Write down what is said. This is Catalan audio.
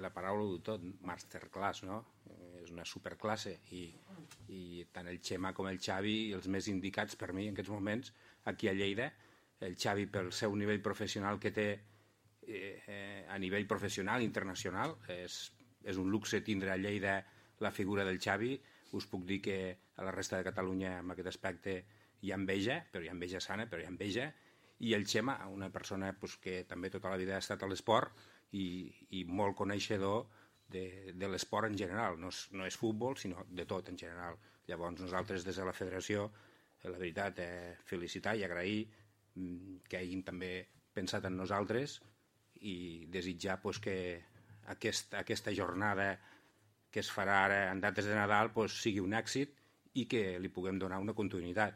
la paraula ho diu tot, masterclass, no? És una superclasse i tant el Xema com el Xavi, els més indicats per mi en aquests moments, aquí a Lleida, el Xavi pel seu nivell professional que té a nivell professional, internacional, és un luxe tindre a Lleida la figura del Xavi. Us puc dir que a la resta de Catalunya en aquest aspecte hi ha enveja, però hi ha enveja sana, però hi ha enveja. I el Xema, una persona que també tota la vida ha estat a l'esport i molt coneixedor de l'esport en general. No és futbol, sinó de tot en general. Llavors nosaltres des de la federació, la veritat, felicitar i agrair que hagin també pensat en nosaltres i desitjar que aquesta jornada que es farà ara en dates de Nadal sigui un èxit i que li puguem donar una continuïtat.